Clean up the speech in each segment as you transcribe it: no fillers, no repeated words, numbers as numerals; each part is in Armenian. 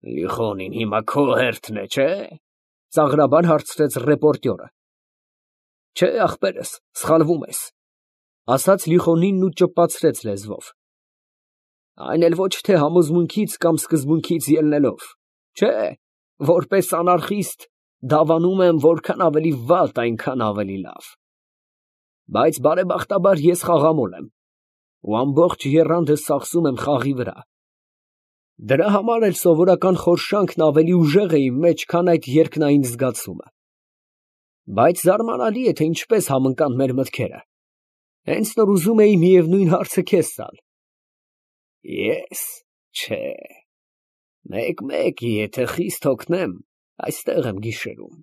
Լիխոնին հիմա քո հերթն է, չէ՞, ծաղրաբար հարցրեց ռեպորտյորը։ Չէ, ախպերս, սխալվում ես, ասաց Լիխոնինն ու ճպացրեց լեզվով։ Այն էլ ոչ թե համոզմունքից կամ սկզբունքից ելնելով, չէ, որպես անարխիստ դավանում եմ, որքան ավելի վատ, այնքան ավելի լավ։ Բայց բարեբախտաբար ես խաղամոլ եմ ու ամբողջ եռանդս ծախսում եմ խաղի վրա։ Դրա համար էլ սովորական խորշանքն ավելի ուժեղ է իմ մեջ, քան այդ երկնային զգացումը։ Բայց զարմանալի է, թե ինչպես համընկան մեր մտքերը։ Հենց նոր ուզում էի միևնույն հարցը քեզ տալ։ Ես, չէ, մեկ-մեկ, եթե խիստ հոգնեմ, այստեղ եմ գիշերում։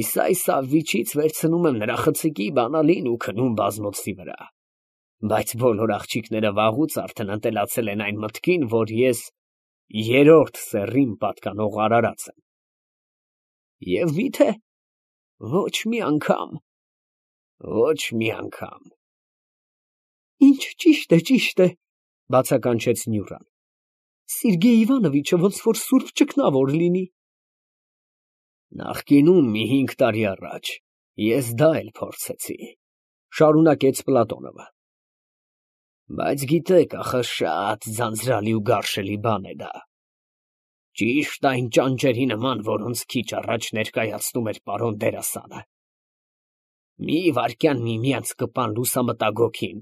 Իսայ Սավվիչից վերցնում եմ նրա խցիկի բանալին ու քնում բազմոցի վրա։ Բայց բոլոր աղջիկները վաղուց արդեն ընտելացել են այն մտքին, որ ես երրորդ սեռին պատկանող արարած եմ։ Եվ միթե ոչ մի անգամ, ոչ մի անգամ։ Ինչ ճիշտ է, բացականչեց Նյուրան։ Սերգեյ Իվանովիչը ոնց որ սուրբ ճգնավոր լինի։ Նախկինում մի 5 տարի առաջ ես դա էլ փորձեցի, շարունակեց Պլատոնովը։ Բայց գիտեք, ախը շատ ձանձրալի ու գարշելի բան է դա։ Ճիշտ այն ճանճերի նման, որոնց քիչ առաջ ներկայացնում էր պարոն դերասանը։ Մի վայրկյան միմյանց կպան լուսամտագոգին,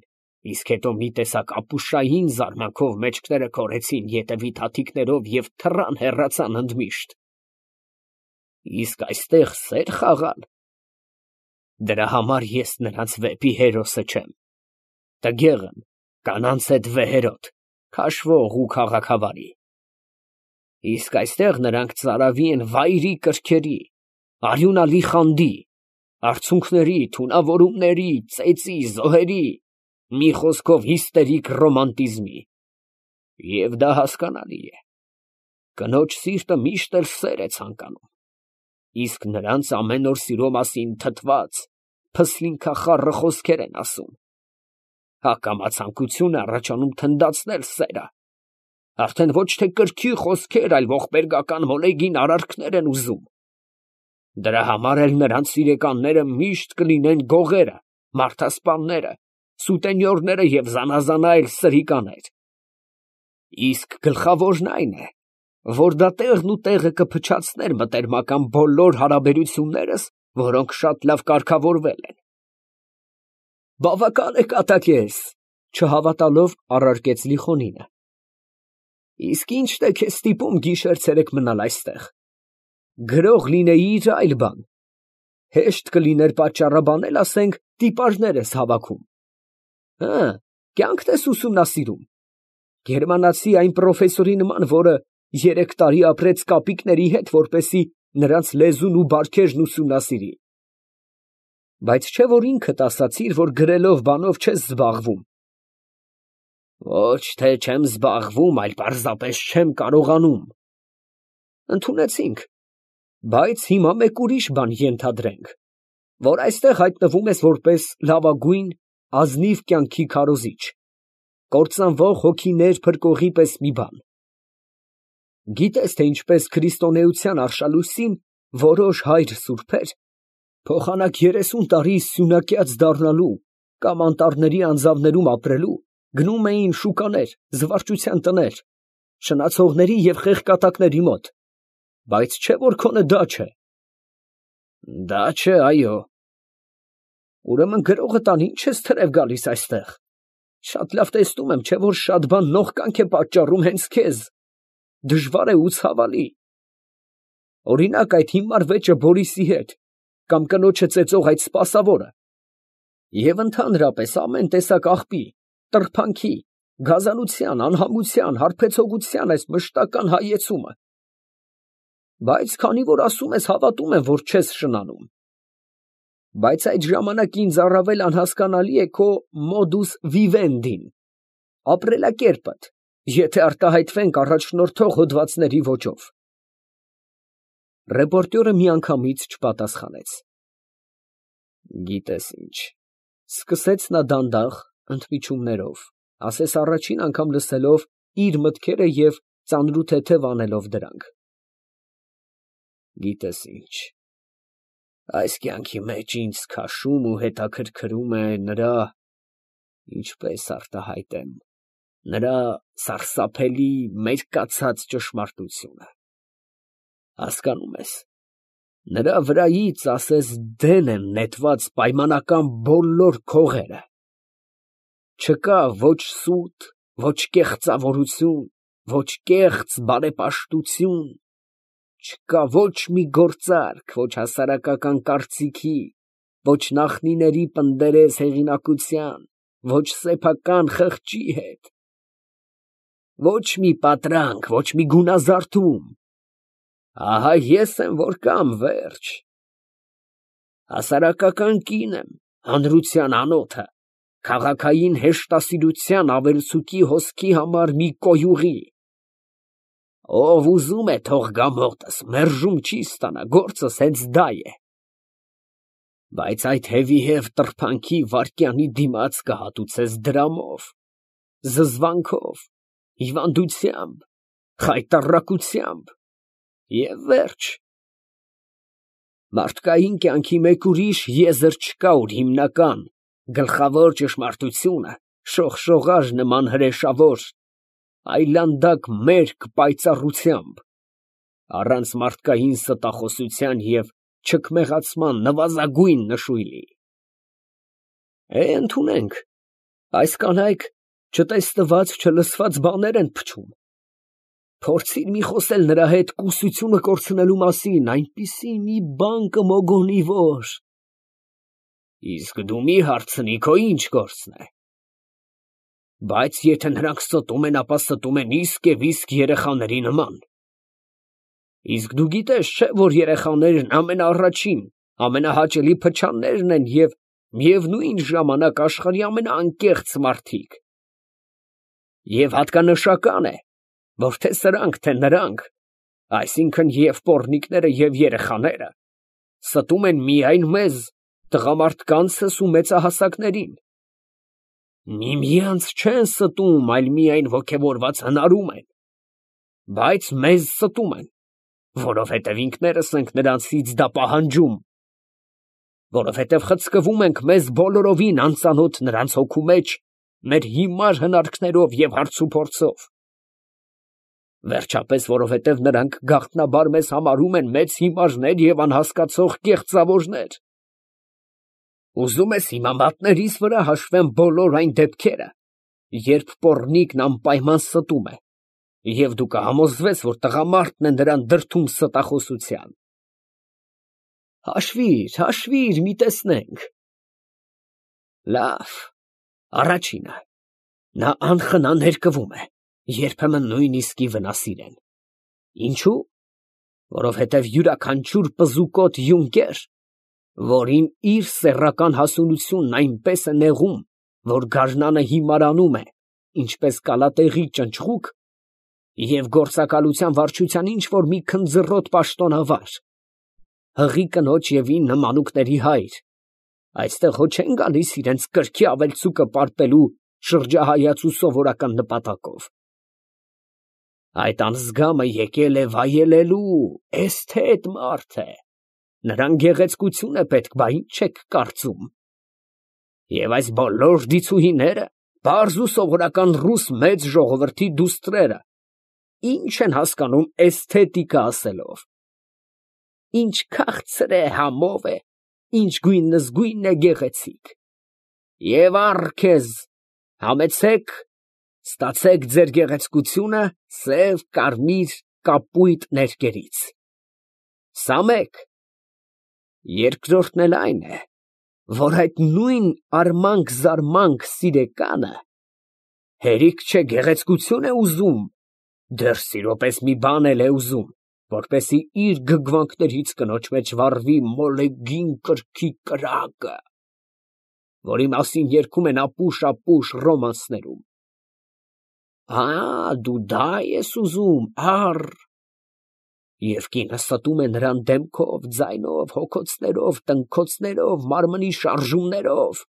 իսկ հետո մի տեսակ ապուշային զարմանքով մեջքները քորեցին ետևի թաթիկներով և թռան հեռացան ընդմիշտ։ Իսկ այստեղ սեր խաղալ։ Դրա համար ես նրանց վեպի հերոսը չեմ։ Տգեղ եմ, կանանց հետ վեհերոտ, քաշվող ու քաղաքավարի։ Իսկ այստեղ նրանք ծարավի են վայրի կրքերի, արյունալի խանդի, արցունքների, թունավորումների, ծեծի, զոհերի, մի խոսքով հիստերիկ ռոմանտիզմի։ Եվ դա հասկանալի է։ Կնոջ սիրտը միշտ էլ սեր է ցանկանում։ Իսկ նրանց ամեն օր սիրո մասին թթված, փսլինքախառը խոսքեր են ասում։ Հակամացանկություն է առաջանում թնդացնել սերը։ Արդեն ոչ թե կրքի խոսքեր, այլ ողբերգական մոլեգին արարքներ են ուզում։ Դրա համար էլ նրանց սիրեկանները միշտ կլինեն գողերը, մարդասպանները, սուտենյորները և զանազանա էլ սրիկաներ։ Իսկ գլխավորն այն է, որ դա տեղն ու տեղը կփչացներ մտերմական բոլոր հարաբերություններս, որոնք շատ լավ կարգավորվել են։ Բավական է կատակես, չհավատալով առարկեց Լիխոնինը։ Իսկ ի՞նչն է քեզ ստիպում գիշեր֊ցերեկ մնալ այստեղ։ Գրող լինեիր այլ բան։ Հեշտ կլիներ պատճառաբանել, ասենք, տիպաժներ ես հավաքում։ Հը, կյանքդ ես ուսումնասիրում։ Գերմանացի այն պրոֆեսորի նման, որը 3 տարի ապրեց կապիկների հետ, որպեսզի նրանց լեզուն ու բարքերն ուսումնասիրի։ Բայց չէ՞ որ ինքդ ասացիր, որ գրելով բանով չես զբաղվում։ Ոչ թե չեմ զբաղվում, այլ պարզապես չեմ կարողանում։ Ընդունեցինք, բայց հիմա մեկ ուրիշ բան ենթադրենք, որ այստեղ հայտնվում ես որպես լավագույն ազնիվ կյանքի քարոզիչ, կործանվող հոգիներ փրկողի պես մի բան։ Գիտես, թե ինչպես քրիստոնեության արշալույսին որոշ հայր սուրբեր փոխանակ 30 տարի սյունակյաց դառնալու կամ անտառների անձավներում ապրելու գնում էին շուկաներ, զվարճության տներ, շնացողների և խեղկատակների մոտ, բայց չէ որ քոնը դա չէ։ Դա չէ, այո։ Ուրեմն գրողը տան ինչ ես թրև գալիս այստեղ։ Շատ լավ տեսնում եմ, չէ որ շատ բան նողկանք է պատճառում հենց քեզ։ Դժվար է ու ցավալի։ Օրինակ այդ հիմար վեճը Բորիսի հետ, կամ կնոջը ծեծող այդ սպասավորը։ Եվ ընդհանրապես ամեն տեսակ աղբի, տրփանքի, գազանության, անհամության, հարբեցողության այս մշտական հայեցումը։ Բայց քանի որ ասում ես, հավատում եմ, որ չես շնանում։ Բայց այդ ժամանակ ինձ առավել անհասկանալի է քո modus vivendi-ն, ապրելակերպդ, եթե արտահայտվենք առաջնորդող հոդվածների ոճով։ Ռեպորտյորը միանգամից չպատասխանեց։ Գիտես ինչ, սկսեց նա դանդաղ, ընդմիջումներով, ասես առաջին անգամ լսելով իր մտքերը և ծանրութեթև անելով դրանք։ Գիտես ինչ, այս կյանքի մեջ ինձ քաշում ու հետաքրքրում է նրա, ինչպես արտահայտեմ, նրա սարսափելի մերկացած ճշմարտությունը։ Հասկանում ես, նրա վրայից ասես դեն են նետված պայմանական բոլոր քողերը։ Չկա ոչ սուտ, ոչ կեղծավորություն, ոչ կեղծ բարեպաշտություն, չկա ոչ մի գործարք, ոչ հասարակական կարծիքի, ոչ նախնիների պնդերես հեղինակության, ոչ սեփական խղճի հետ, ոչ մի պատրանք, ոչ մի գունազարդում։ Ահա ես եմ, որ կամ վերջ։ Հասարակական կին եմ, հանրության անոթը, քաղաքային հեշտասիրության ավելցուկի հոսքի համար մի կոյուղի։ Ով ուզում է թող գա մոտս, մերժում չի ստանա, գործս հենց դա է։ Բայց այդ հևիհև տրփանքի վայրկյանի դիմաց կհատուցես դրամով, զզվանքով, հիվանդությամբ, խայտառակությամբ և վերջ։ Մարդկային կյանքի մեկ ուրիշ եզր չկա, որ հիմնական, գլխավոր ճշմարտությունը շողշողար նման հրեշավոր, այլանդակ մերկ պայծառությամբ, առանց մարդկային ստախոսության և չքմեղացման նվազագույն նշույլի։ Ընդունենք, այս կանայք չտեսնված, չլսված բաներ են փչում։ Փորձիր մի խոսել նրա հետ կուսությունը կորցնելու մասին, այնպիսի մի բան կմոգոնի, որ… Իսկ դու մի հարցնի, քո ինչ գործն է։ Բայց եթե նրանք ստում են, ապա ստում են իսկ և իսկ երեխաների նման։ Իսկ դու գիտես, չէ՞, որ երեխաներն ամենաառաջին, ամենահաճելի փչաններն են և միևնույն ժամանակ աշխարհի ամենաանկեղծ մարդիկ։ Եվ հատկանշական է, որ թե սրանք, թե նրանք, այսինքն և պոռնիկները, և երեխաները, ստում են միայն մեզ, տղամարդկանցս ու մեծահասակներին։ Միմյանց չեն ստում, այլ միայն ոգևորված հնարում են, բայց մեզ ստում են, որովհետև ինքներս ենք նրանցից դա պահանջում, որովհետև խցկվում ենք մեզ բոլորովին անծանոթ նրանց հոգու մեջ մեր հիմար հնարքներով և հարցուփորձով։ Վերջապես, որովհետև նրանք գաղտնաբար մեզ համարում են մեծ հիմարներ և անհասկացող կեղծավորներ։ Ուզում ես հիմա մատներիս վրա հաշվեմ բոլոր այն դեպքերը, երբ պոռնիկն անպայման ստում է, և դու կհամոզվես, որ տղամարդն է նրան դրդում ստախոսության։ Հաշվիր, մի տեսնենք։ Լավ, առաջինը, նա անխնա ներկվում է, երբեմն նույնիսկ ի վնասիրեն։ Ինչու՞։ Որովհետև յուրաքանչյուր պզուկոտ յունկեր, որին իր սեռական հասունությունն այնպես է նեղում, որ գարնանը հիմարանում է, ինչպես կալատեղի ճնճղուկ, և գործակալության վարչության ինչ֊որ մի քնձռոտ պաշտոնավար, հղի կնոջ և 9 մանուկների հայր, այստեղ հո չեն գալիս իրենց կրքի ավելցուկը պարպելու շրջահայաց ու սովորական նպատակով։ Այդ անձգամը եկել է վայելելու, էսթետ մարդ է, նրան գեղեցկություն է պետք, բա ինչ եք կարծում։ Եվ այս բոլոր դիցուհիները, պարզ ու սովորական ռուս մեծ ժողովրդի դուստրերը, ինչ են հասկանում էսթետիկա ասելով։ Ինչ քաղցր է, համով է, ինչ գույնզգույն է գեղեցիկ։ Եվ առ քեզ, համեցեք, ստացեք ձեր գեղեցկությունը սև, կարմիր, կապույտ ներկերից։ Սամեք։ Երկրորդն էլ այն է, որ այդ նույն արմանք-զարմանք սիրեկանը հերիք չէ գեղեցկություն է ուզում, դեռ սիրո պես մի բան էլ է ուզում, որպեսզի իր գգվանքներից կնոջ մեջ վառվի մոլեգին կրքի կրակը, որի մասին երգում են ապուշ ռոմանսներում։ Դու դա ես ուզում, առ… Եվ կինը ստում է նրան դեմքով, ձայնով, հոգոցներով, տնքոցներով, մարմնի շարժումներով։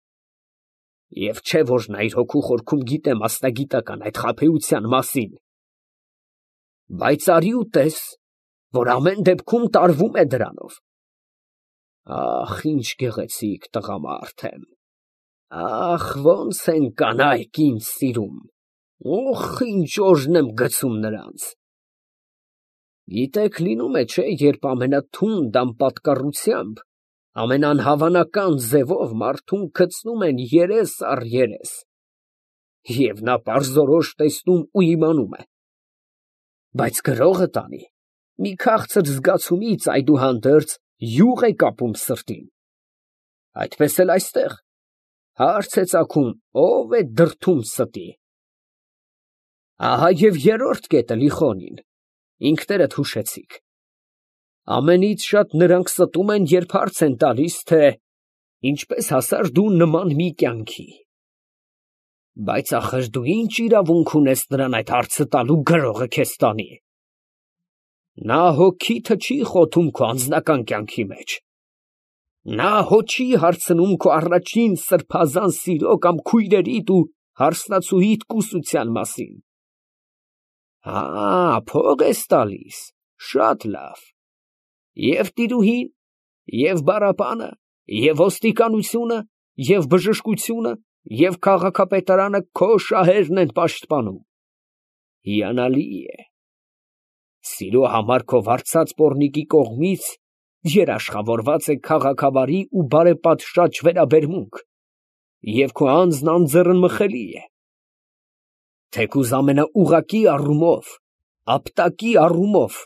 Եվ չէ՞ որ նա իր հոգու խորքում գիտե մասնագիտական այդ խաբեության մասին։ Բայց արի ու տես, որ ամեն դեպքում տարվում է դրանով։ Ախ, ինչ գեղեցիկ տղամարդ եմ, ախ, ոնց են կանայք ինձ սիրում, օխ, ինչ օրհն եմ գցում նրանց։ Գիտեք, լինում է, չէ, երբ ամենաթունդ անպատկառությամբ, ամենանհավանական ձևով մարդուն գցնում են երես առ երես, և նա պարզորոշ տեսնում ու իմանում է։ Բայց գրողը տանի, մի քաղցր զգացումից այդուհանդերձ յուղ է կապում սրտին։ Այդպես էլ այստեղ հարց է ծագում, ով է դրդում ստի։ Ահա և երրորդ կետը, Լիխոնին, ինքներդ հուշեցիք։ Ամենից շատ նրանք ստում են, երբ հարց են տալիս, թե ինչպես հասար դու նման մի կյանքի։ Բայց ախր դու ինչ իրավունք ունես նրան այդ հարցը տալու, գրողը քեզ տանի։ Նա հո քիթը չի խոթում քո անձնական կյանքի մեջ։ Նա հո չի հարցնում քո առաջին սրբազան սիրո կամ քույրերիդ ու հարսնացուիդ կուսության մասին։ Փող ես տալիս, շատ լավ։ Եվ տիրուհին, և բառապանը, և ոստիկանությունը, և բժշկությունը, և քաղաքապետարանը քո շահերն են պաշտպանում։ Հիանալի է։ Սիրո համար քո վարձած պոռնիկի կողմից երաշխավորված է քաղաքավարի ու բարեպատշաճ վերաբերմունք, և քո անձն անձեռնմխելի է։ Թեկուզ ամենաուղղակի առումով, ապտակի առումով,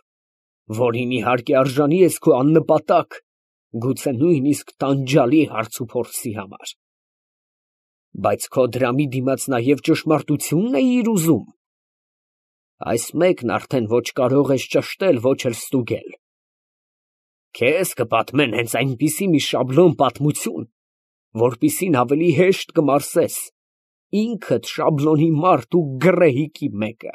որին իհարկե արժանի ես քո աննպատակ, գուցե նույնիսկ տանջալի հարցուփորձի համար։ Բայց քո դրամի դիմաց նաև ճշմարտությունն էիր ուզում։ Այս մեկն արդեն ոչ կարող ես ճշտել, ոչ էլ ստուգել։ Քեզ կպատմեն հենց այնպիսի մի շաբլոն պատմություն, որպիսին ավելի հեշտ կմարսես, ինքդ շաբլոնի մարդ ու գռեհիկի մեկը,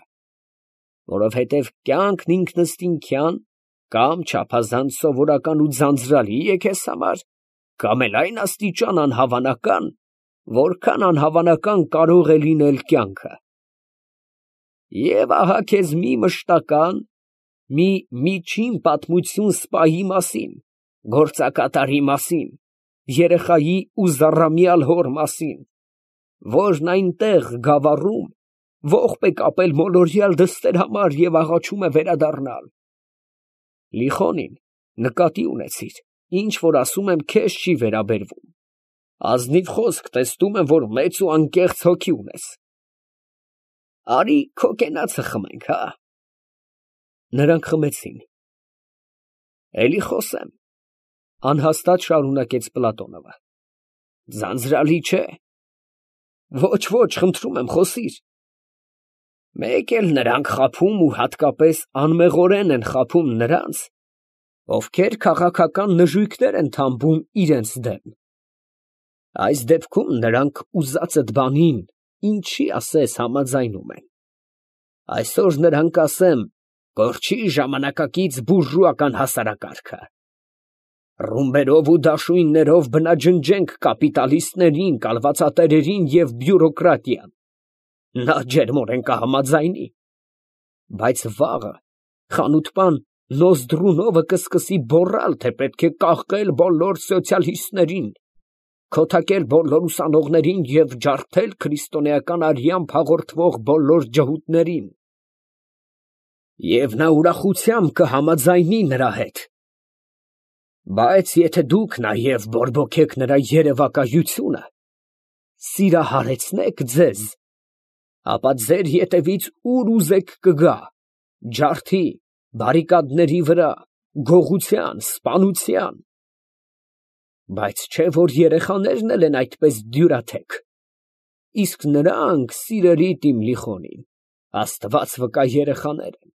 որովհետև կյանքն ինքնըստինքյան կամ չափազանց սովորական ու ձանձրալի է քեզ համար, կամ էլ այն աստիճան անհավանական, որքան անհավանական կարող է լինել կյանքը։ Եվ ահա քեզ մի մշտական, մի միջին պատմություն սպայի մասին, գործակատարի մասին, երեխայի ու զառամյալ հոր մասին, որն այնտեղ գավառում ողբ է կապել մոլորյալ դստեր համար և աղաչում է վերադառնալ։ Լիխոնին, նկատի ունեցիր, ինչ որ ասում եմ, քեզ չի վերաբերվում։ Ազնիվ խոսք, տեսնում եմ, որ մեծ ու անկեղծ հոգի ունես։ Արի քո կենացը խմենք, հա։ Նրանք խմեցին։ Էլի խոսեմ, անհաստատ շարունակեց Պլատոնովը։ Ձանձրալի չէ։ Ոչ, խնդրում եմ, խոսիր։ Մեկ էլ նրանք խաբում ու հատկապես անմեղորեն են խաբում նրանց, ովքեր քաղաքական նժույգներ են թամբում իրենց դեմ։ Այս դեպքում նրանք ուզածդ բանին, ինչի ասես, համաձայնում են։ Այսօր նրանք, ասեմ, կորչի ժամանակակից բուրժուական հասարակարգը։ Ռումբերով ու դաշույններով բնաջնջենք կապիտալիստներին, կալվածատերերին և բյուրոկրատիան։ Նա ջերմորեն կհամաձայնի։ Բայց վաղը խանութպան Նոզդրունովը կսկսի գոռալ, թե պետք է կաղկել բոլոր սոցիալիստներին, քոթակել բոլոր ուսանողներին և ջարդել քրիստոնեական արյամբ հաղորդվող բոլոր ջհուդներին։ Եվ նա ուրախությամբ կհամաձայնի նրա հետ։ Բայց եթե դուք նաև բորբոքեք նրա երևակայությունը, սիրահարեցնեք ձեզ, ապա ձեր ետևից ուր ուզեք կգա, ջարդի, բարիկադների վրա, գողության, սպանության։ Բայց չէ՞ որ երեխաներն էլ են այդպես դյուրաթեք։ Իսկ նրանք, սիրելիդ իմ Լիխոնին, Աստված վկա երեխաներ են։